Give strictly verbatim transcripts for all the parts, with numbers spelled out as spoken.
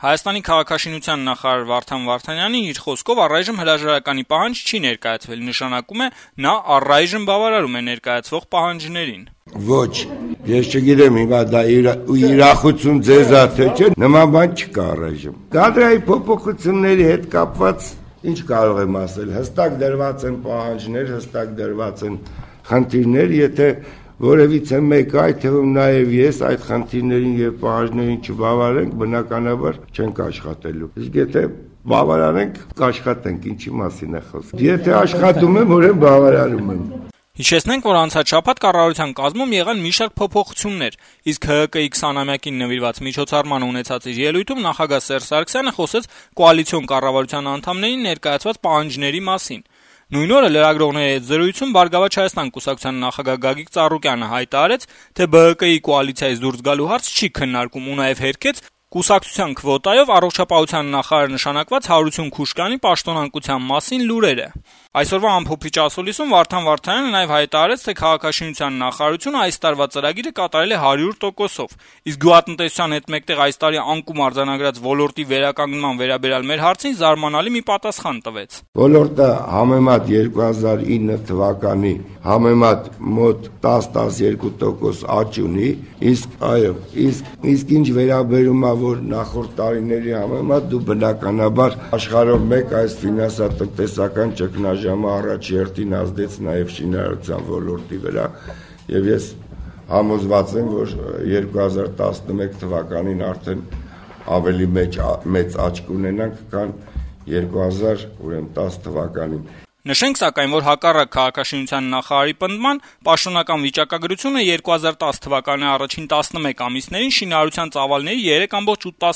Հայաստանի քաղաքաշինության նախարար Վարդան Վարդանյանին իր խոսքով առայժմ հրաժարականի պահանջ չի ներկայացվել, նշանակում է նա առայժմ բավարարում է ներկայացվող պահանջներին։ Ոչ, ես չգիտեմ հիմա դա իրախություն ձեզ թե չէ, նման բան չկա առայժմ։ Կադրայի փոփոխությունների հետ կապված ինչ կարող եմ ասել, հստակ դրված են պահանջներ, հստակ դրված են խնդիրներ, եթե որևիցե մեկը, այդ թվում նաև ես այդ խնդիրներին եւ պահանջներին չբավարարենք, բնականաբար չենք աշխատելու։ Իսկ եթե բավարարենք, կաշխատենք, ինչի մասին է խոսքը։ Եթե աշխատում եմ, ուրեմն բավարարում եմ։ Հիշեցնենք, որ անցած շաբաթ կառավարության կազմում եղան մի շարք փոփոխություններ, իսկ Հ Հ Կի քսանամյակին նվիրված միջոցառման ունեցած իր ելույթում նախագահ Սերժ Սարգսյանը խոսեց կոալիցիոն կառավարության անդամներին ներկայացված պահանջների մասին։ Նույն օրը լրագրողների հետ զրույցում Բարգավաճ Հայաստան կուսակցության նախագահ Գագիկ Ծառուկյանը հայտարարեց, թե Բ Հ Կի կոալիցիայից դուրս գալու հարց չի քննարկում ու նաև հերքեց կուսակցության քվոտայով առողջապահության նախարար նշանակված Հարություն Քուշկյանի պաշտոնանկության մասին լուրերը։ Այսօրվա ամփոփիչ ասուլիսում Վարդան Վարդանյանը նաև հայտարարեց, թե քաղաքաշինության նախարարությունը այս տարվա ծրագիրը կատարել է հարյուր տոկոսով, իսկ գյուղատնտեսության հետ մեկտեղ այս տարի անկում արձանագրած ոլորտի վերականգնման վերաբերյալ մեր հարցին զարմանալի մի պատասխան տվեց։ Ոլորտը համեմատ երկու հազար ինը թվականի համեմատ մոտ տասը-տասներկու տոկոս աճ ունի, իսկ այո, իսկ իսկ ինչ վերաբերում է որ նախորդ տարիների համեմատ դու բնականաբար աշխարհով մեկ այս ֆինանսատնտեսական ճգնաժամը առաջ երթին ազդեց նաև շինարարության ոլորտի վրա եւ ես համոզված եմ որ երկու հազար տասնմեկ թվականին արդեն ավելի մեծ մեծ աճ կունենանք քան երկու հազար տասը թվականին։ Նշենք սակայն, որ հակառակ քաղաքաշինության նախարարի պնդման, պաշտոնական վիճակագրությունը երկու հազար տասը թվականի առաջին տասնմեկ ամիսներին շինարարության ծավալների երեք ամբողջ ութ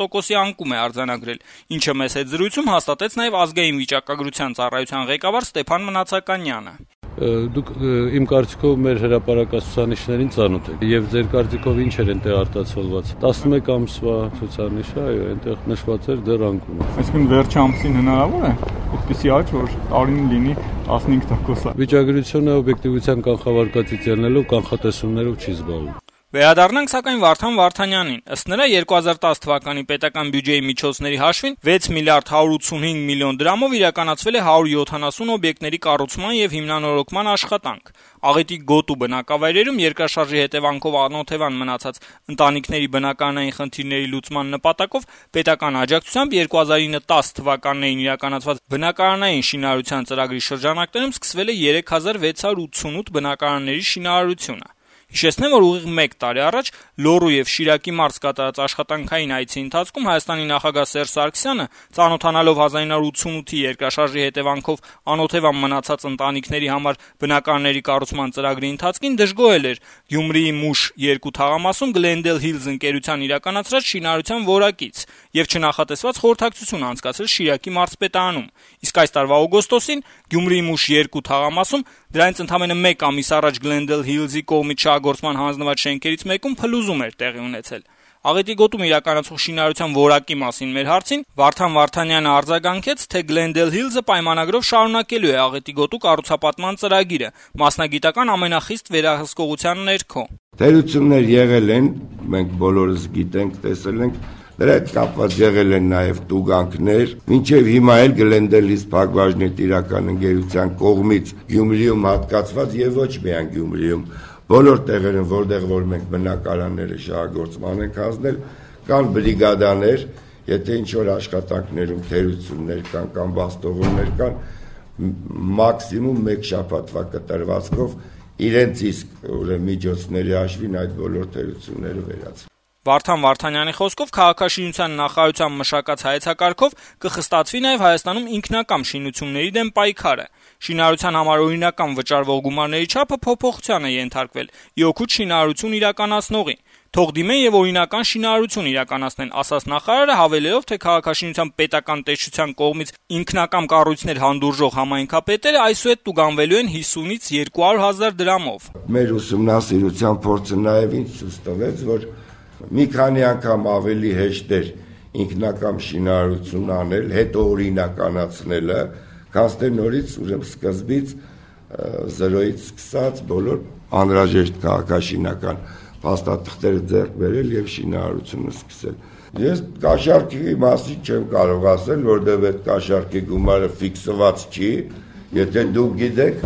տոկոսի անկում է արձանագրել, ինչը մեծ հետ զրույցում հաստատեց նաև ազգային վիճակագրության ծառայության ղեկավար Ստեփան Մնացականյանը։ Դուք իմ կարծիքով մեր հրապարակացուցանիշներին ծանոթ եք եւ ձեր կարծիքով ինչ էր այնտեղ արտացոլված։ տասնմեկ ամսվա ցուցանիշը, այո, այնտեղ նշված էր դեռ անկում։ Այսինքն վերջի ամսին հնարավոր է այդպիսի աճ, որ տարին լինի տասնհինգ տոկոս։ Վիճակագրությունը օբյեկտիվության կանխավարկածից ելնելով կանխատեսումներով չի զբաղվում։ Վերադառնանք սակայն Վարդան Վարդանյանին։ Ըստ նրա երկու հազար տասը թվականի պետական բյուջեի միջոցների հաշվին վեց միլիարդ հարյուր ութսունհինգ միլիոն դրամով իրականացվել է հարյուր յոթանասուն օբյեկտների կառուցման եւ հիմնանորոգման աշխատանք։ Աղետի գոտու բնակավայրերում երկրաշարժի հետևանքով անօթևան մնացած ընտանիքների բնակարանային խնդիրների լուծման նպատակով պետական աջակցությամբ երկու հազար ինը տասը թվականներին իրականացված բնակարանային շինարարության ծրագրի շրջանակներում սկսվել է երեք հազար վեց հարյուր ութսունութ բնակարանների շինարարությունը։ Հիշեցնեմ, որ ուղիղ մեկ տարի առաջ Լոռու եւ Շիրակի մարզ կատարած աշխատանքային այցի ընթացքում Հայաստանի նախագահ Սերժ Սարգսյանը, ծանոթանալով հազար ինը հարյուր ութսունութի երկրաշարժի հետևանքով անօթևան մնացած ընտանիքների համար բնակարանների կառուցման ծրագրի ընթացքին դժգոհել էր Գյումրիի Մուշ երկու թաղամասում Glendale Hills ընկերության իրականացրած շինարարության որակից եւ չնախատեսված խորհրդակցություն անցկացրել Շիրակի մարզպետարանում։ Իսկ այս տարվա օգոստոսին Գյումրիի Մուշ երկու թաղամասում դրանից ընդամենը մեկ ամիս առաջ Glendale Hills-ի կողմից շահագործման հանձնված շենքերից մեկում փլուզում էր տեղի ունեցել։ Աղետի գոտում իրականացող շինարարության որակի մասին մեր հարցին Վարդան Վարդանյանը արձագանքեց, թե Glendale Hills-ը պայմանագրով շարունակելու է Աղետի գոտու կառուցապատման ծրագիրը, մասնագիտական ամենախիստ վերահսկողության ներքո։ Թերություններ եղել են, մենք բոլորս գիտենք, տեսել ենք, դրա հետ կապված եղել են նաև տուգանքներ, մինչև հիմա էլ Glendale Hills փակbaşıնետիրական ընկերության կողմից Գյումրիում հատկացված եւ ոչ միայն Գյումրիում բոլոր տեղերում, որտեղ որ մենք բնակարանները շահագործման ենք հանձնել, կան բրիգադաներ, եթե ինչ-որ աշխատանքներում թերություններ կան կամ բաստողումներ կան, մաքսիմում մեկ շաբաթվա կտրվածքով իրենց իսկ ուրեմն միջոցների հաշվին այդ բոլոր թերությունները վերացվեն։ Վարդան Վարդանյանի խոսքով քաղաքաշինության նախարարության մշակած հայեցակարգով կխստացվի նաև Հայաստանում ինքնակամ շինությունների դեմ պայքարը։ Շինարարության համար օրինական վճարվող գումարների չափը փոփոխության է ենթարկվել՝ ի օգուտ շինարարություն իրականացնողի։ Թող դիմեն եւ օրինական շինարարություն իրականացնեն, ասաց նախարարը, հավելելով, թե քաղաքաշինության պետական տեսչության կողմից ինքնակամ կառույցներ հանդուրժող համայնքապետերը այսուհետ տուգանվելու են հիսունից երկու հարյուր հազար դրամով։ Մեր ուսումնասիրության փորձը նաեւ ինչ ցույց տվեց, որ մի քանի անգամ ավելի հեշտ էր ինքնակամ շինարարություն անել, հետո օրինականացնելը, քան թե նորից ուրեմն սկզբից զրոյից սկսած բոլոր անհրաժեշտ քաղաքաշինական փաստաթղթերը ձեռք բերել եւ շինարարությունը սկսել։ Ես կաշառքի մասին չեմ կարող ասել, որտեղ այդ կաշառքի գումարը ֆիքսված չի, եթե դուք գիտեք,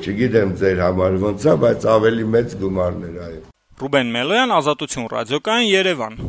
չգիտեմ ձեր համար ոնց է, բայց ավելի մեծ գումարներ այո։ Ռուբեն Մելոյան, Ազատություն ռադիոկայան, Երևան։